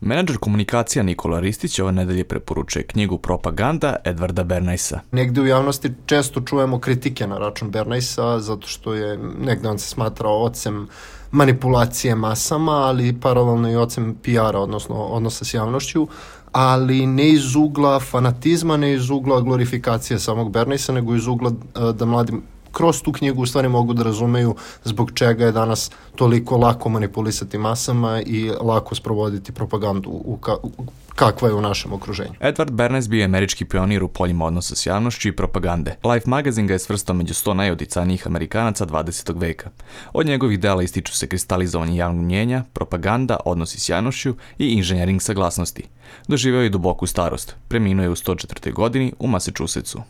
Menadžer komunikacija Nikola Ristić ove nedelje preporučuje knjigu Propaganda Edwarda Bernaisa. Negde u javnosti često čujemo kritike na račun Bernaisa, zato što je negde on se smatrao ocem manipulacije masama, ali paralelno i ocem PR-a, odnosno odnosa s javnošću, ali ne iz ugla fanatizma, ne iz ugla glorifikacije samog Bernaisa, nego iz ugla da mladi kroz tu knjigu u stvari mogu da razumeju zbog čega je danas toliko lako manipulisati masama i lako sprovoditi propagandu kakva je u našem okruženju. Edward Bernays bio je američki pionir u poljima odnosa s javnošću i propagande. Life magazine ga je svrstao među 100 najodicajnijih Amerikanaca 20. veka. Od njegovih dela ističu se kristalizovanje javnog mnjenja, propaganda, odnosi s javnošću i inženjering saglasnosti. Doživeo je duboku starost. Preminuo je u 104. godini u Massachusettsu.